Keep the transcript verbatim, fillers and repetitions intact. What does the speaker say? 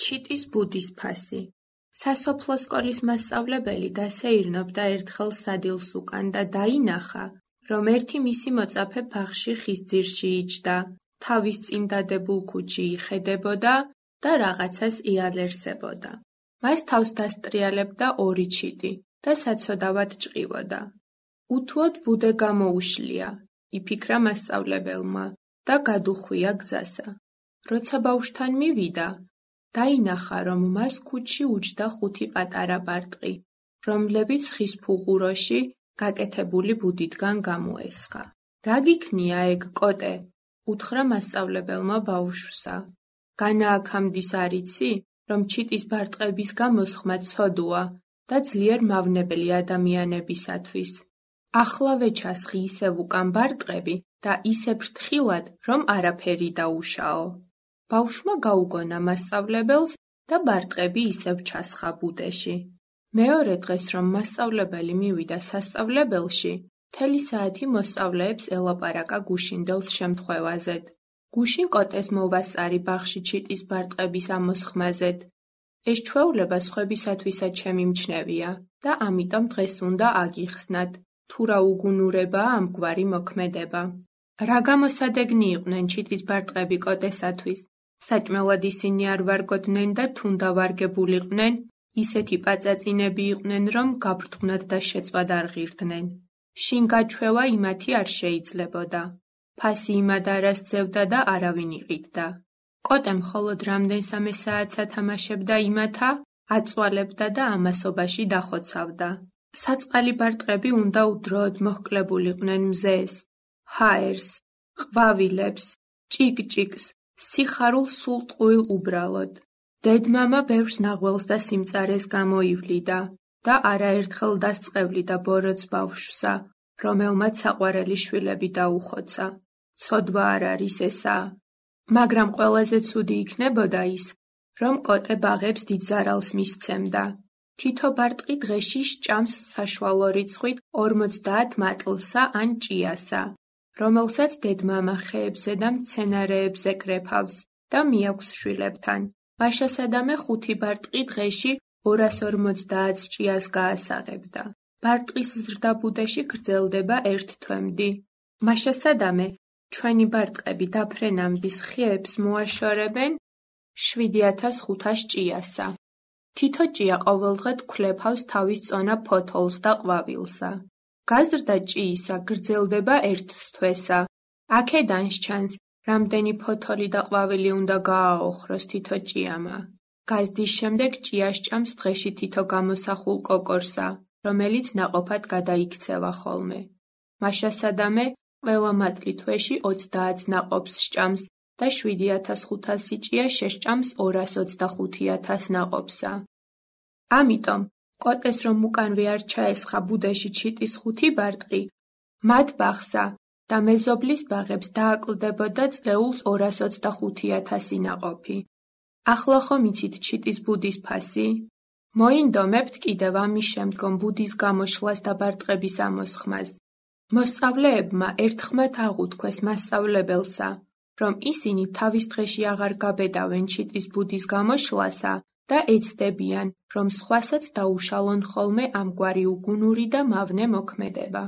ჩიტის ბუდის ფასი. სასოფლო სკოლის მასწავლებელი დასეირნობდა ერთხელ სადილს უკან და დაინახა, რომ ერთი მისი მოწაფე ბაღში ხის ძირში იჯდა, თავის წინ დადებულ ქუჩი იხედებოდა და რაღაცას იალერსებოდა. მას თავს დასტრიალებდა ორი ჩიტი და საცოდავად ჭყივოდა. უთუოდ ბუდე გამოუშლია, იფიქრა მასწავლებელმა და გადუხვია გზასა. როცა ბავშვთან მივიდა, დაინახა, რომ მას ქუჩში უჯდა ხუთი პატარა ბარტყი, რომლებიც ხის ფუღუროში გაკეთებული ბუდიდან გამოესხა. რა გიქნია ეგ, კოტე? უთხრა მასწავლებელმა ბავშვსა. განააქამდის არ იცი, რომ ჩიტის ბარტყების გამოსხმა ცოდუა და ძლიერ მავნებელი ადამიანებისათვის. ახლა ვეჩასხი ისევ უკან ბარტყები და ისე ფრთხილად, რომ არაფერი დაუშაო. ბავშვმა გაუგონა მასწავლებელს და ბარტყები ისევ ჩასხა ბუდეში. მეორე დღეს, რომ მასწავლებელი მივიდა სასწავლებელში, მთელი საათი მოსწავლეებს ელაპარაკა გუშინდელს შემთხვევაზედ. გუშინ კოტეს მოვასწარი ბაღში ჩიტის ბარტყების ამოსხმაზედ. ეს ჩვეულება სხვებისათვისაც შემიმჩნევია და ამიტომ დღეს უნდა აგიხსნათ, თუ რა უგუნურებაა ამგვარი მოქმედება. რა გამოსადეგნი იყვნენ ჩიტის ბარტყები კოტესათვის? საჭმელად ისინი არ ვარგოდნენ და თუნდა ვარგებულიყვნენ, ისეთი პაწაწინები იყვნენ, რომ გაბრთღვნად და შეწვად არ ღირდნენ. შინ გაჩვევა იმათი არ შეიძლებოდა. ფასი იმად არ ასწევდა და არავინ იყიდდა. კოტე მხოლოდ რამდენსამე საათს ათამაშებდა იმათა, აწვალებდა და ამასობაში დახოცავდა. საწყალი ბარტყები უნდა უდროოდ მოჰკლებულიყვნენ მზეს, ჰაერს, ყვავილებს, ჭიკ-ჭიკს, სიხარულს სულ ტყუილ უბრალოდ. დედმამა ბევრს ნაღველს და სიმწარეს გამოივლიდა და არაერთხელ დასწყევლიდა ბოროტს ბავშვსა, რომელმაც საყვარელი შვილები დაუხოცა. ცოდვა არ არის ესა. მაგრამ ყველაზე ცუდი იქნებოდა ის, რომ კოტე ბაღებს დიდ ზარალს მისცემდა. თითო ბარტყი დღეში სჭამს საშუალო რიცხვით ორმოცდაათ მატლსა ან ჭიასა, რომელსაც დედმამა ხეებზე და მცენარეებზე კრეფავს და მიაქვს შვილებთან. მაშასადამე ხუთი ბარტყი დღეში ორას ორმოცდაათ ჭიას გაასაღებდა. ბარტყის ზრდა ბუდეში გრძელდება ერთ თვემდე. მაშასადამე ჩვენი ბარტყები დაფრენამდის ხეებს მოაშორებენ შვიდი ათას ხუთას ჭიასა. თითო ჭია ყოველდღე გქლეფავს თავის წონა ფოთოლს და ყვავილსა. გაზრდა ჭიისა გრძელდება ერთ თვესა. აქედან სჩანს, რამდენი ფოთოლი და ყვავილი უნდა გააოხროს თითო ჭიამა. გაზრდის შემდეგ ჭია სჭამს დღეში თითო გამოსახულ კოკორსა, რომელიც ნაყოფად გადაიქცევა ხოლმე. მაშასადამე ყველა მატლი თვეში ოცდაათ ნაყოფს სჭამს და შვიდი ათას ხუთასი ჭია შესჭამს ორას ოცდახუთი ათას ნაყოფსა. ამიტომ, კოტეს რომ უკანვე არ ჩაესხა ბუდეში ჩიტის ხუთი ბარტყი, მათ ბაღსა და მეზობლის ბაღებს დააკლდებოდა წლეულს ორას ოცდახუთი ათასი ნაყოფი. ახლა ხომ იცით ჩიტის ბუდის ფასი? მოინდომებთ კიდევ ამის შემდგომ ბუდის გამოშლას და ბარტყების ამოსხმას. მოსწავლეებმა ერთხმად აღუთქვეს მასწავლებელსა, რომ ისინი თავის დღეში აღარ გაბედავენ ჩიტის ბუდის გამოშლასა და ეცდებიან, რომ სხვასაც დაუშალონ ხოლმე ამგვარი უგუნური და მავნე მოქმედება.